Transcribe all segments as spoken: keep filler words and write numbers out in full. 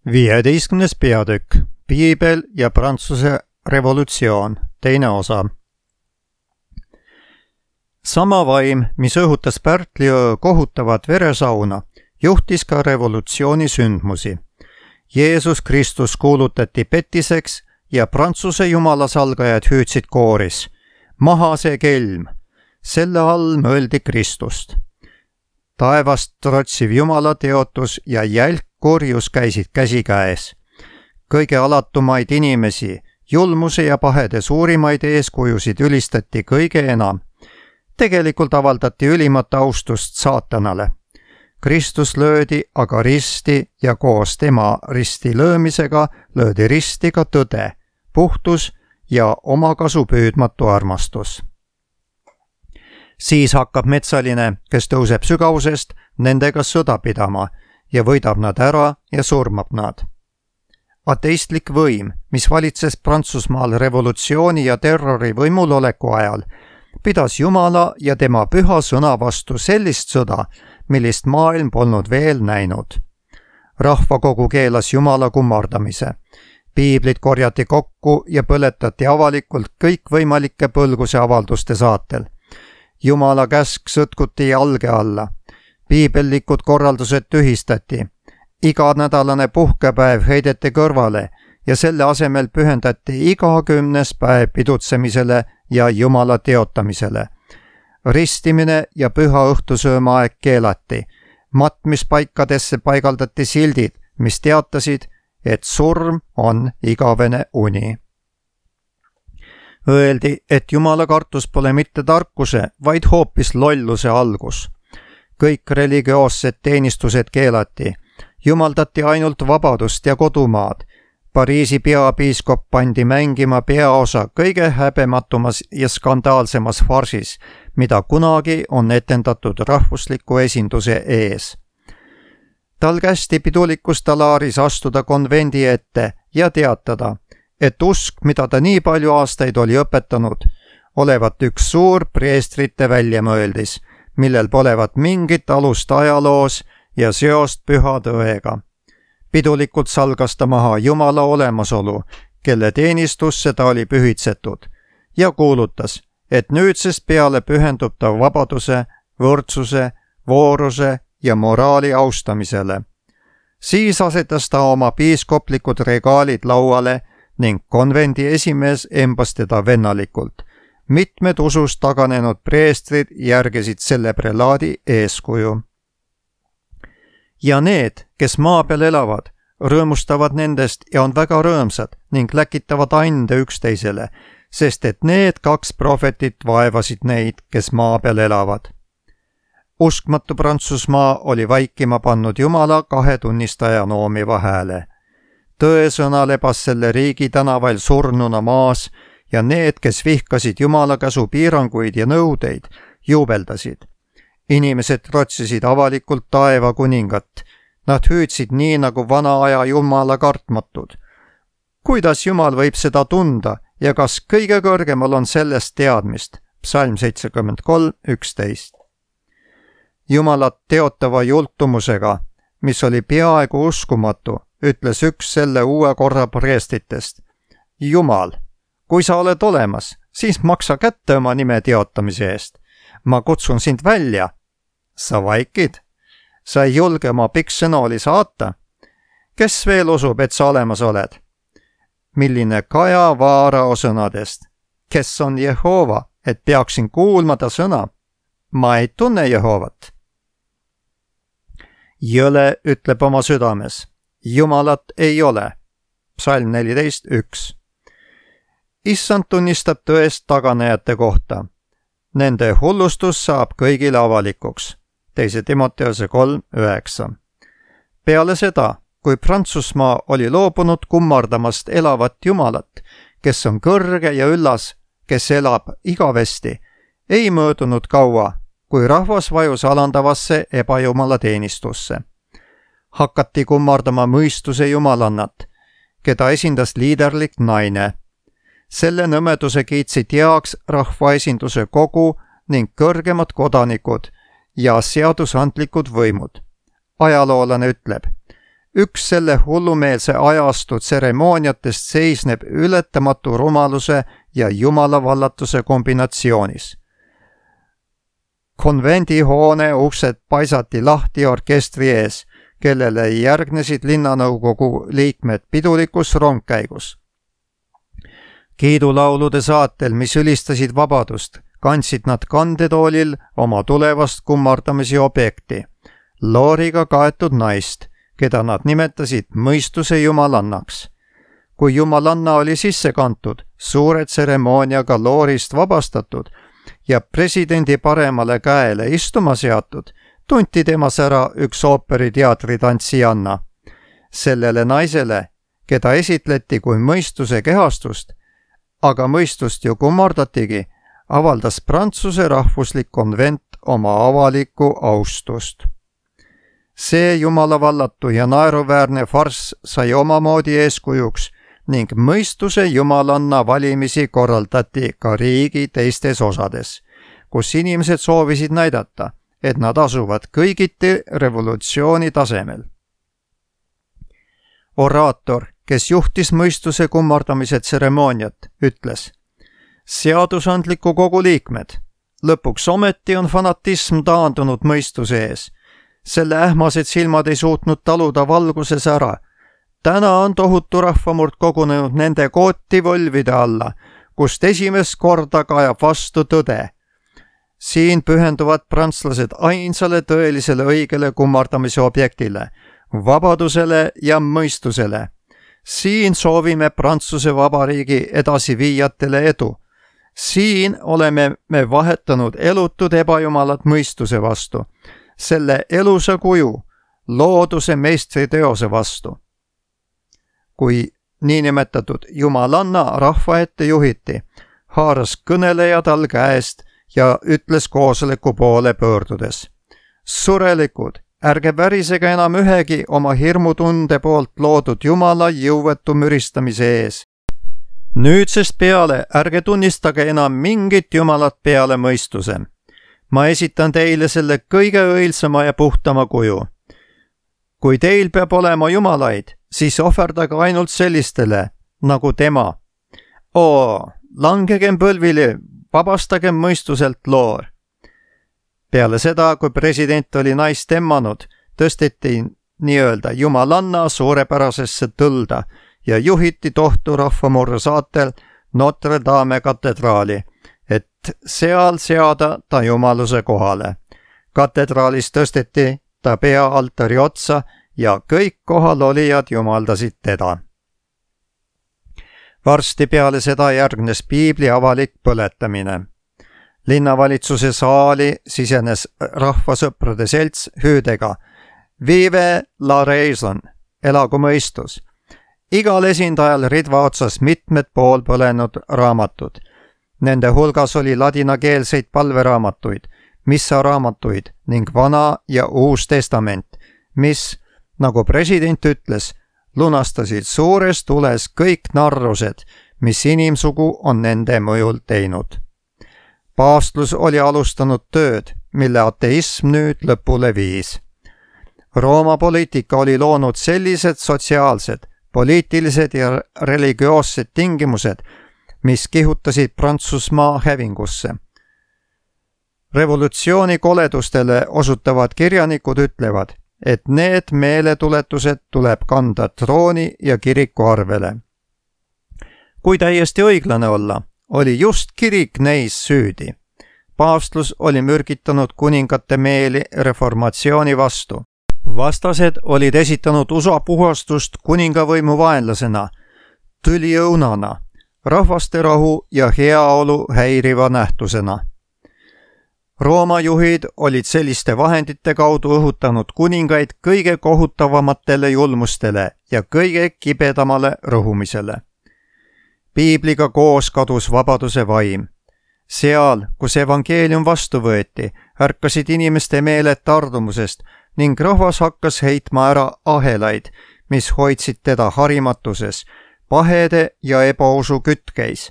viieteistkümnes peatükk Piibel ja Prantsuse revolutsioon, teine osa. Sama vaim, mis õhutas Pärtliöö kohutavat veresauna, juhtis ka revolutsiooni sündmusi. Jeesus Kristus kuulutati petiseks ja Prantsuse jumalasalgajad hüüdsid kooris. Maha see kelm! Selle all mõeldi Kristust. Taevast trotsiv jumala teotus ja jälk korjus käisid käsikäes. Kõige alatumaid inimesi, julmuse ja pahede suurimaid eeskujusid ülistati kõige enam. Tegelikult avaldati ülimat austust saatanale. Kristus löödi aga risti ja koos tema risti löömisega löödi risti ka tõde, puhtus ja omakasu püüdmatu armastus. Siis hakkab metsaline, kes tõuseb sügavusest, nendega sõda pidama ja võidab nad ära ja surmab nad. Ateistlik võim, mis valitses Prantsusmaal revolutsiooni ja terrori võimuloleku ajal, pidas Jumala ja tema püha sõna vastu sellist sõda, millist maailm polnud veel näinud. Rahvakogu keelas Jumala kummardamise. Piiblit korjati kokku ja põletati avalikult kõikvõimalike põlguse avalduste saatel. Jumala käsk sõtkuti jalge alla. Piibellikud korraldused tühistati. Iganädalane puhkepäev heideti kõrvale ja selle asemel pühendati iga kümnes päev pidutsemisele ja Jumala teotamisele. Ristimine ja püha õhtusöömaaeg keelati. Matmispaikadesse paigaldati sildid, mis teatasid, et surm on igavene uni. Öeldi, et Jumala kartus pole mitte tarkuse, vaid hoopis lolluse algus. Kõik religioossed teenistused keelati. Jumaldati ainult vabadust ja kodumaad. Pariisi peapiiskop pandi mängima peaosa kõige häbematumas ja skandaalsemas farsis, mida kunagi on etendatud rahvusliku esinduse ees. Tal kästi pidulikus talaaris astuda konvendi ette ja teatada, et usk, mida ta nii palju aastaid oli õpetanud, olevat üks suur preestrite väljamõeldis, millel polevat mingit alust ajaloos ja seost püha tõega. Pidulikult salgas ta maha Jumala olemasolu, kelle teenistusse ta oli pühitsetud, ja kuulutas, et nüüdsest peale pühendub ta vabaduse, võrdsuse, vooruse ja moraali austamisele. Siis asetas ta oma piiskoplikud regaalid lauale ning konvendi esimees embas teda vennalikult. Mitmed usust taganenud preestrid järgisid selle prelaadi eeskuju. Ja need, kes maa peal elavad, rõõmustavad nendest ja on väga rõõmsad ning läkitavad ande üksteisele, sest et need kaks prohvetit vaevasid neid, kes maa peal elavad. Uskmatu Prantsusmaa oli vaikima pannud Jumala kahe tunnistaja noomiva hääle. Tõesõna lebas selle riigi tänavail surnuna maas ja need, kes vihkasid Jumala käsu piiranguid ja nõudeid, juubeldasid. Inimesed trotsisid avalikult taeva kuningat. Nad hüüdsid nii nagu vana aja Jumala kartmatud. Kuidas Jumal võib seda tunda ja kas kõige kõrgemal on sellest teadmist? Psalm seitsekümmend kolm üksteist. Jumalat teotava jultumusega, mis oli peaaegu uskumatu, ütles üks selle uue korra preestritest. Jumal, kui sa oled olemas, siis maksa kätte oma nime teotamise eest. Ma kutsun sind välja. Sa vaikid? Sa ei julge oma pikksõnaoli saata? Kes veel usub, et sa olemas oled? Milline Kaja Vaarao sõnadest? Kes on Jehova, et peaksin kuulma ta sõna? Ma ei tunne Jehovat. Jõle ütleb oma südames. Jumalat ei ole. Psalm neliteist üks. Issand tunnistab tõest taganejate kohta. Nende hullustus saab kõigile avalikuks. Teise Timoteose kolm üheksa. Peale seda, kui Prantsusmaa oli loobunud kummardamast elavat Jumalat, kes on kõrge ja üllas, kes elab igavesti, ei möödunud kaua, kui rahvas vajus alandavasse ebajumala teenistusse. Hakati kummardama mõistuse jumalannat, keda esindas liiderlik naine. Selle nõmeduse kiitsid heaks rahvaesinduse kogu ning kõrgemad kodanikud ja seadusandlikud võimud. Ajaloolane ütleb, üks selle hullumeelse ajastu tseremooniatest seisneb ületamatu rumaluse ja jumalavallatuse kombinatsioonis. Konvendihoone uksed paisati lahti orkestri ees, kellele järgnesid linnanõukogu liikmed pidulikus rongkäigus. Kiidulaulude saatel, mis ülistasid vabadust, kandsid nad kandetoolil oma tulevast kummardamise objekti, looriga kaetud naist, keda nad nimetasid mõistuse jumalannaks. Kui jumalanna oli sisse kantud, suure tseremooniaga loorist vabastatud ja presidendi paremale käele istuma seatud, tunti temas ära üks ooperiteatri tantsijanna. Sellele naisele, keda esitleti kui mõistuse kehastust, aga mõistust ju kummardatigi, avaldas Prantsuse rahvuslik konvent oma avalikku austust. See jumalavallatu ja naeruväärne farss sai omamoodi eeskujuks ning mõistuse jumalanna valimisi korraldati ka riigi teistes osades, kus inimesed soovisid näidata, et nad asuvad kõigiti revolutsiooni tasemel. Oraator, kes juhtis mõistuse kummardamise tseremooniat, ütles: seadusandliku kogu liikmed, lõpuks ometi on fanatism taandunud mõistuse ees. Selle ähmased silmad ei suutnud taluda valguses ära. Täna on tohutu rahvamurd kogunenud nende kootivõlvide alla, kust esimest korda kajab vastu tõde. Siin pühenduvad prantslased ainsale tõelisele õigele kummardamise objektile, vabadusele ja mõistusele. Siin soovime Prantsuse Vabariigi edasiviijatele edu. Siin oleme me vahetanud elutud ebajumalat mõistuse vastu, selle elusa kuju, looduse meistriteose vastu. Kui niinimetatud jumalanna rahva ette juhiti, haaras kõneleja tal käest ja ütles koosoleku poole pöördudes: surelikud, ärge värisege enam ühegi oma hirmutunde poolt loodud jumala jõuetu müristamise ees. Nüüdsest peale ärge tunnistage enam mingit jumalat peale mõistuse. Ma esitan teile selle kõige õilsama ja puhtama kuju. Kui teil peab olema jumalaid, siis ohverdage ainult sellistele, nagu tema. Oo, langegem põlvili, vabastagem mõistuselt loor. Peale seda, kui president oli naist emmanud, tõsteti nii-öelda jumalanna suurepärasesse tõlda ja juhiti tohtu rahvamurre saatel Notre Dame katedraali, et seal seada ta jumaluse kohale. Katedraalis tõsteti ta pea altari otsa ja kõik kohalolijad jumaldasid teda. Varsti peale seda järgnes piibli avalik põletamine. Linnavalitsuse saali sisenes rahvasõprade selts hüüdega Vive la raison, elagu mõistus. Igal esindajal ridva otsas mitmed pool põlenud raamatud. Nende hulgas oli ladinakeelseid palveraamatuid, missaraamatuid ning Vana ja Uus Testament, mis, nagu president ütles, lunastasid suures tules kõik narrused, mis inimsugu on nende mõjul teinud. Paavstlus oli alustanud tööd, mille ateism nüüd lõpule viis. Rooma poliitika oli loonud sellised sotsiaalsed, poliitilised ja religioossed tingimused, mis kihutasid Prantsusmaa hävingusse. Revolutsiooni koledustele osutavad kirjanikud ütlevad, et need meeletuletused tuleb kanda trooni ja kiriku arvele. Kui täiesti õiglane olla, oli just kirik neis süüdi. Paavstlus oli mürgitanud kuningate meeli reformatsiooni vastu. Vastased olid esitanud usapuhastust kuningavõimu vaenlasena, tüliõunana, rahvaste rahu ja heaolu häiriva nähtusena. Rooma juhid olid selliste vahendite kaudu õhutanud kuningaid kõige kohutavamatele julmustele ja kõige kibedamale rõhumisele. Piibliga koos kadus vabaduse vaim. Seal, kus evangeelium vastu võeti, ärkasid inimeste meeled tardumusest ning rahvas hakkas heitma ära ahelaid, mis hoidsid teda harimatuses, pahede ja ebausu kütkeis.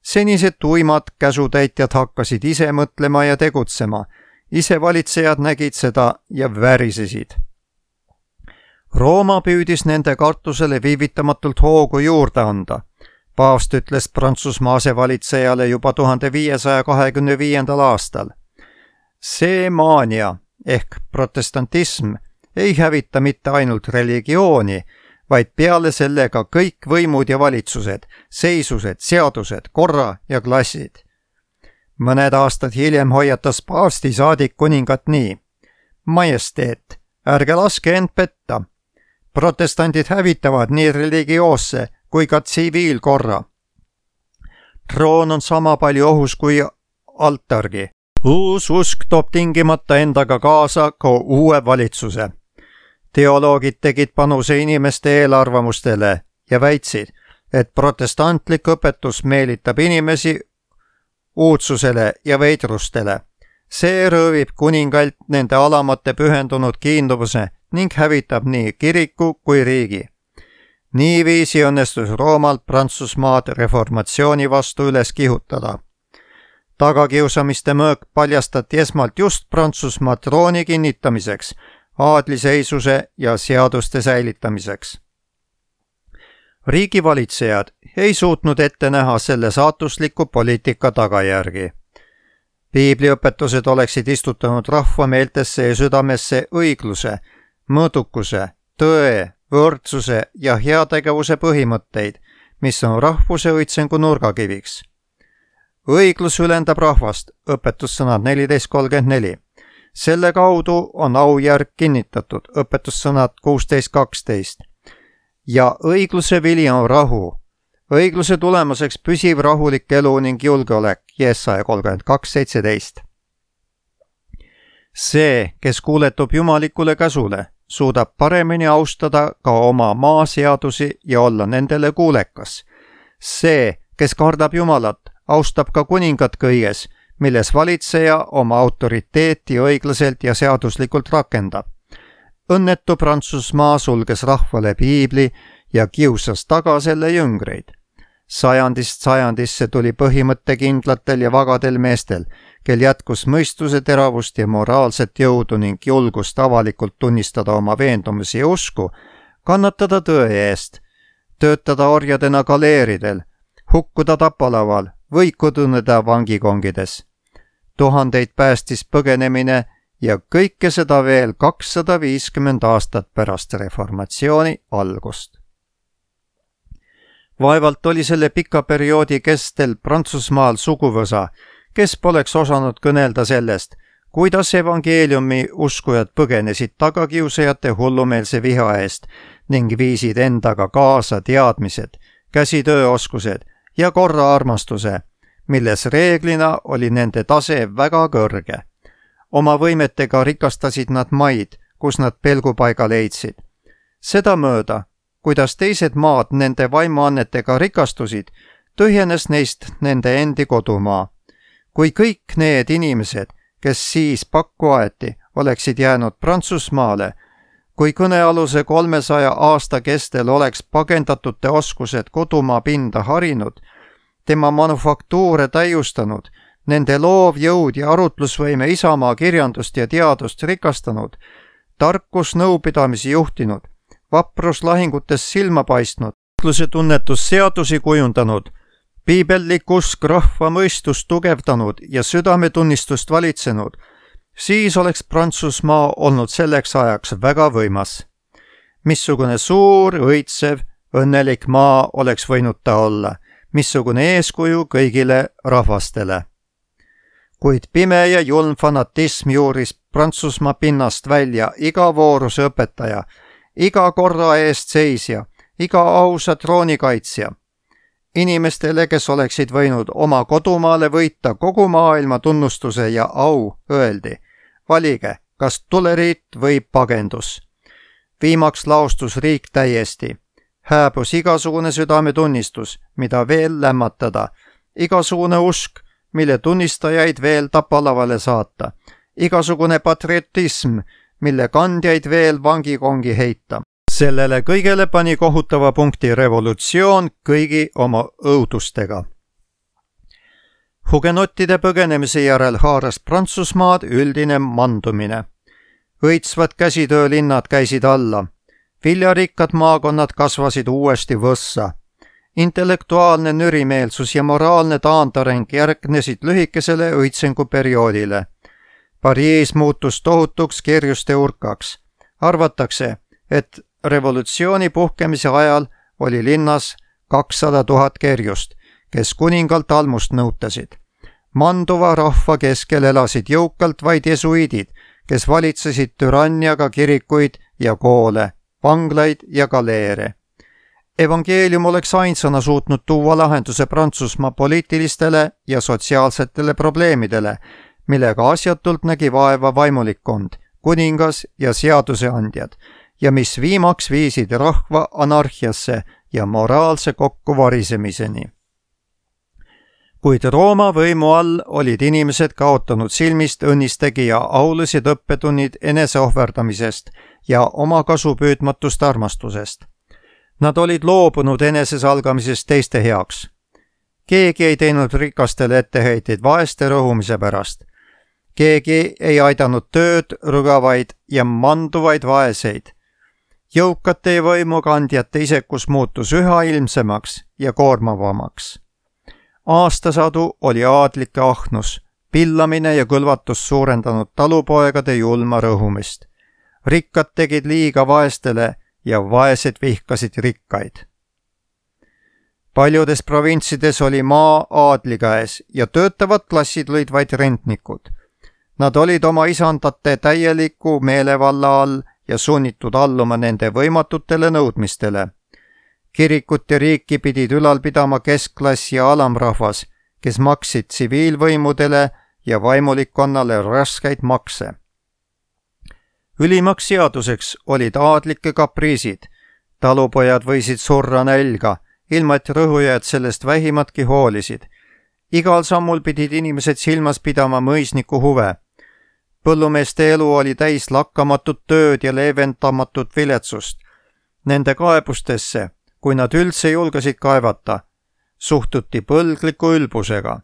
Senised tuimad käsutäitjad hakkasid ise mõtlema ja tegutsema, ise valitsejad nägid seda ja värisesid. Rooma püüdis nende kartusele viivitamatult hoogu juurde anda. Paavst ütles Prantsusmaa asevalitsejale juba tuhande viiesaja kahekümne viiendal aastal. See maania ehk protestantism ei hävita mitte ainult religiooni, vaid peale sellega kõik võimud ja valitsused, seisused, seadused, korra ja klassid. Mõned aastad hiljem hoiatas paavsti saadik kuningat nii. Majesteet, ärge laske end petta. Protestandid hävitavad nii religioosse kui ka tsiviilkorra. Troon on sama palju ohus kui altargi. Uus usk toob tingimata endaga kaasa ka uue valitsuse. Teoloogid tegid panuse inimeste eelarvamustele ja väitsid, et protestantlik õpetus meelitab inimesi uudsusele ja veidrustele. See röövib kuningalt nende alamate pühendunud kiinduvuse ning hävitab nii kiriku kui riigi. Niiviisi õnnestus Roomalt Prantsusmaad reformatsiooni vastu üles kihutada. Tagakiusamiste mõõk paljastati esmalt just Prantsusmaa trooni kinnitamiseks, aadliseisuse ja seaduste säilitamiseks. Riigivalitsejad ei suutnud ette näha selle saatusliku poliitika tagajärgi. Piibliõpetused oleksid istutanud rahva meeltesse ja südamesse õigluse, mõõdukuse, tõe, võrdsuse ja heategevuse põhimõtteid, mis on rahvuse õitsengu nurgakiviks. Õiglus ülendab rahvast, õpetussõnad neliteist kolmkümmend neli. Selle kaudu on aujärg kinnitatud, õpetussõnad kuusteist kaksteist. Ja õigluse vili on rahu. Õigluse tulemuseks püsiv rahulik elu ning julgeolek, Jesaja kolmkümmend kaks seitseteist. See, kes kuuletub jumalikule käsule, suudab paremini austada ka oma maaseadusi ja olla nendele kuulekas. See, kes kardab Jumalat, austab ka kuningat kõiges, milles valitseja oma autoriteeti õiglaselt ja seaduslikult rakendab. Õnnetu Prantsusmaa sulges rahvale piibli ja kiusas taga selle jüngreid. Sajandist sajandisse tuli põhimõttekindlatel ja vagadel meestel, kel jätkus mõistuse teravust ja moraalset jõudu ning julgust avalikult tunnistada oma veendumusi ja usku, kannatada tõe eest, töötada orjadena galeeridel, hukkuda tapalaval või kõduneda vangikongides. Tuhandeid päästis põgenemine ja kõike seda veel kakssada viiskümmend aastat pärast reformatsiooni algust. Vaevalt oli selle pika perioodi kestel Prantsusmaal suguvõsa, kes poleks osanud kõnelda sellest, kuidas evangeeliumi uskujad põgenesid tagakiusajate hullumeelse viha eest ning viisid endaga kaasa teadmised, käsitööoskused ja korra armastuse, milles reeglina oli nende tase väga kõrge. Oma võimetega rikastasid nad maid, kus nad pelgupaiga leidsid. Seda mööda, kuidas teised maad nende vaimuannetega rikastusid, tühjenes neist nende endi kodumaa. Kui kõik need inimesed, kes siis pakku aeti, oleksid jäänud Prantsusmaale, kui kõnealuse kolmesaja aasta kestel oleks pagendatute oskused kodumaa pinda harinud, tema manufaktuure täiustanud, nende loovjõud ja arutlusvõime isamaa kirjandust ja teadust rikastanud, tarkus nõupidamisi juhtinud, vaprus lahingutes silma paistnud, õigluse tunnetus seadusi kujundanud, piibellik usk rahva mõistust tugevdanud ja südametunnistust valitsenud, siis oleks Prantsusmaa olnud selleks ajaks väga võimas. Missugune suur, õitsev, õnnelik maa oleks võinud ta olla, missugune eeskuju kõigile rahvastele. Kuid pime ja julm fanatism juuris Prantsusmaa pinnast välja iga vooruse õpetaja, iga korra eest seisja, iga ausa troonikaitsja. Inimestele, kes oleksid võinud oma kodumaale võita kogu maailma tunnustuse ja au, öeldi, valige, kas tuleriit või pagendus. Viimaks laostus riik täiesti. Hääbus igasugune südametunnistus, mida veel lämmatada, igasugune usk, mille tunnistajaid veel tapalavale saata, igasugune patriotism, mille kandjaid veel vangikongi heita. Sellele kõigele pani kohutava punkti revolutsioon kõigi oma õudustega. Hugenottide põgenemise järel haaras Prantsusmaad üldine mandumine. Õitsvad käsitöölinnad käisid alla. viljarikkad maakonnad kasvasid uuesti võssa. Intellektuaalne nürimeelsus ja moraalne taandareng järgnesid lühikesele õitsenguperioodile. Pariis muutus tohutuks kerjuste urkaks. Arvatakse, et revolutsiooni puhkemise ajal oli linnas kakssada tuhat kerjust, kes kuningalt almust nõutasid. Manduva rahva keskel elasid jõukalt vaid jesuiidid, kes valitsesid türanniaga kirikuid ja koole, vanglaid ja galeere. Evangeelium oleks ainsana suutnud tuua lahenduse Prantsusmaa poliitilistele ja sotsiaalsetele probleemidele, millega asjatult nägi vaeva vaimulikkond, kuningas ja seaduseandjad, ja mis viimaks viisid rahva anarhiasse ja moraalse kokkuvarisemiseni. Kuid Rooma võimu all olid inimesed kaotanud silmist õnnistegija aulised õppetunnid eneseohverdamisest ja oma kasupüüdmatust armastusest. Nad olid loobunud enesesalgamisest teiste heaks. Keegi ei teinud rikastele etteheiteid vaeste rõhumise pärast. Keegi ei aidanud tööd, rügavaid ja manduvaid vaeseid. Jõukate võimukandjate isekus muutus üha ilmsemaks ja koormavamaks. Aastasadu oli aadlike ahnus, pillamine ja kõlvatus suurendanud talupoegade julma rõhumist. Rikkad tegid liiga vaestele ja vaesed vihkasid rikkaid. Paljudes provintsides oli maa aadli käes ja töötavad klassid olid vaid rentnikud. Nad olid oma isandate täieliku meelevalla all ja sunnitud alluma nende võimatutele nõudmistele. Kirikut ja riiki pidid ülal pidama keskklass ja alamrahvas, kes maksid tsiviilvõimudele ja vaimulikkonnale raskeid makse. Ülimaks seaduseks olid aadlike kapriisid. Talupojad võisid surra nälga, ilma et rõhujad sellest vähimatki hoolisid. Igal sammul pidid inimesed silmas pidama mõisniku huve. Põllumeeste elu oli täis lakkamatut tööd ja leevendamatut viletsust. Nende kaebustesse, kui nad üldse julgesid kaevata, suhtuti põlgliku ülbusega.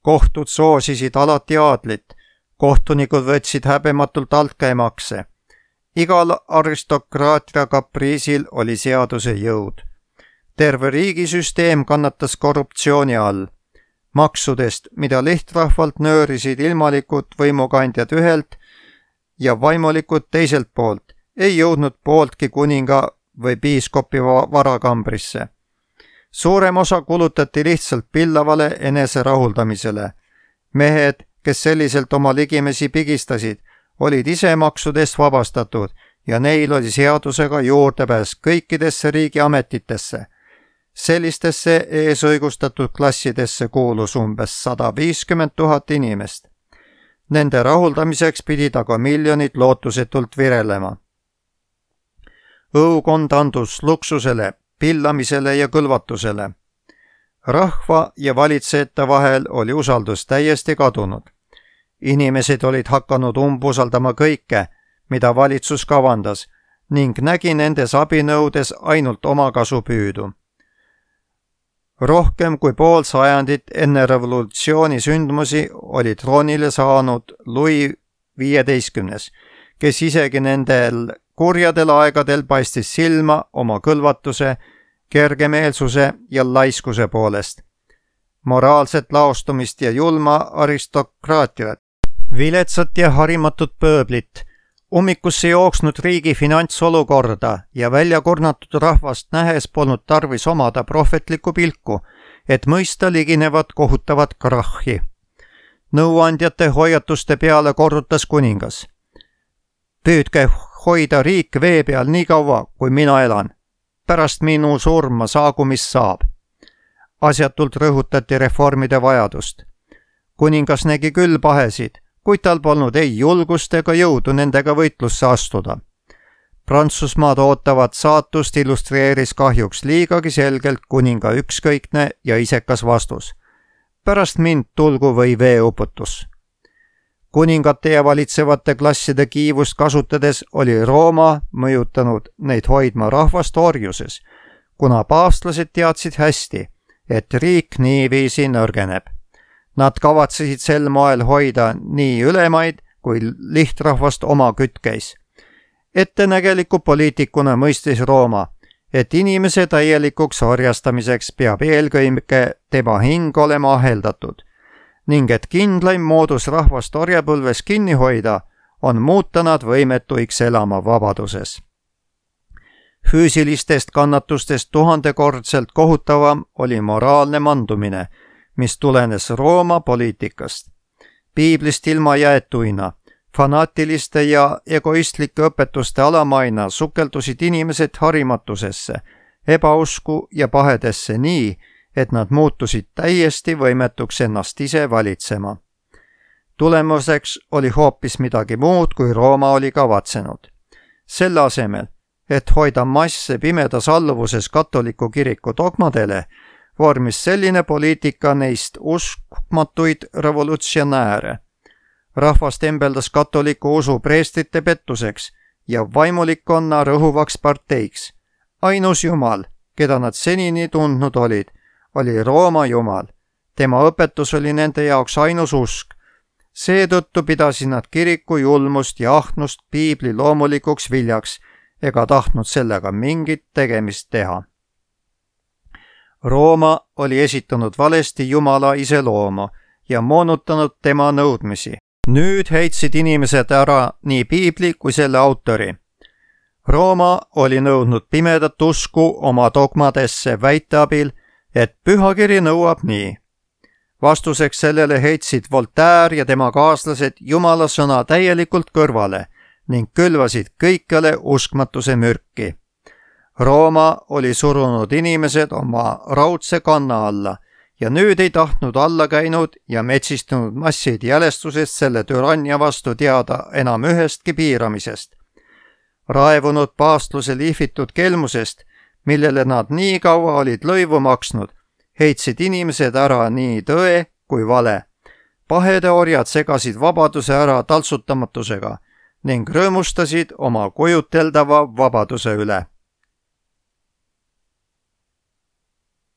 Kohtud soosisid alati aadlit, kohtunikud võtsid häbematult altkäemakse. Igal aristokraatia kapriisil oli seaduse jõud. Terve riigisüsteem kannatas korruptsiooni all. Maksudest, mida lihtrahvalt nöörisid ilmalikud võimukandjad ühelt ja vaimulikud teiselt poolt, ei jõudnud pooltki kuninga või piiskopi varakambrisse. Suurem osa kulutati lihtsalt pillavale enese rahuldamisele. Mehed, kes selliselt oma ligimesi pigistasid, olid ise maksudest vabastatud ja neil oli seadusega juurdepääs kõikidesse riigi ametitesse. Sellistesse eesõigustatud klassidesse kuulus umbes sada viiskümmend tuhat inimest. Nende rahuldamiseks pidid aga miljonid lootusetult virelema. Õukond andus luksusele, pillamisele ja kõlvatusele. Rahva ja valitsejate vahel oli usaldus täiesti kadunud. Inimesed olid hakanud umbusaldama kõike, mida valitsus kavandas, ning nägi nendes abinõudes ainult oma kasupüüdu. Rohkem kui pool sajandit enne revolutsiooni sündmusi oli troonile saanud Louis viieteistkümnes, kes isegi nendel kurjadel aegadel paistis silma oma kõlvatuse, kergemeelsuse ja laiskuse poolest. Moraalset laostumist ja julma aristokraatiat, viletsat ja harimatut pööblit, ummikusse jooksnud riigi finantsolukorda ja väljakurnatud rahvast nähes polnud tarvis omada prohvetlikku pilku, et mõista liginevat kohutavat krahhi. Nõuandjate hoiatuste peale korrutas kuningas. Püüdke hoida riik vee peal nii kaua, kui mina elan. Pärast minu surma saagu, mis saab. Asjatult rõhutati reformide vajadust. Kuningas nägi küll pahesid, kuid tal polnud ei julgust ega jõudu nendega võitlusse astuda. Prantsusmaad ootavat saatust illustreeris kahjuks liigagi selgelt kuninga ükskõikne ja isekas vastus. Pärast mind tulgu või veeuputus. Kuningate ja valitsevate klasside kiivust kasutades oli Rooma mõjutanud neid hoidma rahvast orjuses, kuna paavstlased teadsid hästi, et riik niiviisi nõrgeneb. Nad kavatsesid sel moel hoida nii ülemaid kui lihtrahvast oma kütkeis. ettenägeliku poliitikuna mõistis Rooma, et inimese täielikuks orjastamiseks peab eelkõige tema hing olema aheldatud ning et kindlaim moodus rahvast orjapõlves kinni hoida on muuta nad võimetuiks elama vabaduses. Füüsilistest kannatustest tuhandekordselt kohutavam oli moraalne mandumine, mis tulenes Rooma poliitikast. Piiblist ilma jäetuina, fanaatiliste ja egoistlike õpetuste alamaina sukeldusid inimesed harimatusesse, ebausku ja pahedesse nii, et nad muutusid täiesti võimetuks ennast ise valitsema. Tulemuseks oli hoopis midagi muud, kui Rooma oli kavatsenud. Selle asemel, et hoida masse pimedas alluvuses katoliku kiriku dogmadele, vormis selline poliitika neist uskmatuid revolutsionääre. Rahvast embeldas katoliku usu preestrite pettuseks ja vaimulikkonna rõhuvaks parteiks. Ainus Jumal, keda nad senini tundnud olid, oli Rooma Jumal. Tema õpetus oli nende jaoks ainus usk. Seetõttu pidasid nad kiriku julmust ja ahnust piibli loomulikuks viljaks ega tahtnud sellega mingit tegemist teha. Rooma oli esitanud valesti Jumala iseloomu ja moonutanud tema nõudmisi. Nüüd heitsid inimesed ära nii piibli kui selle autori. Rooma oli nõudnud pimedat usku oma dogmadesse väite abil, et pühakiri nõuab nii. Vastuseks sellele heitsid Voltaire ja tema kaaslased Jumala sõna täielikult kõrvale ning külvasid kõikjale uskmatuse mürki. Rooma oli surunud inimesed oma raudse kanna alla ja nüüd ei tahtnud alla käinud ja metsistunud massid jälestusest selle türannia vastu teada enam ühestki piiramisest. Raevunud paastluse lihvitud kelmusest, millele nad nii kaua olid lõivu maksnud, heitsid inimesed ära nii tõe kui vale. Pahede orjad segasid vabaduse ära taltsutamatusega ning rõõmustasid oma kujuteldava vabaduse üle.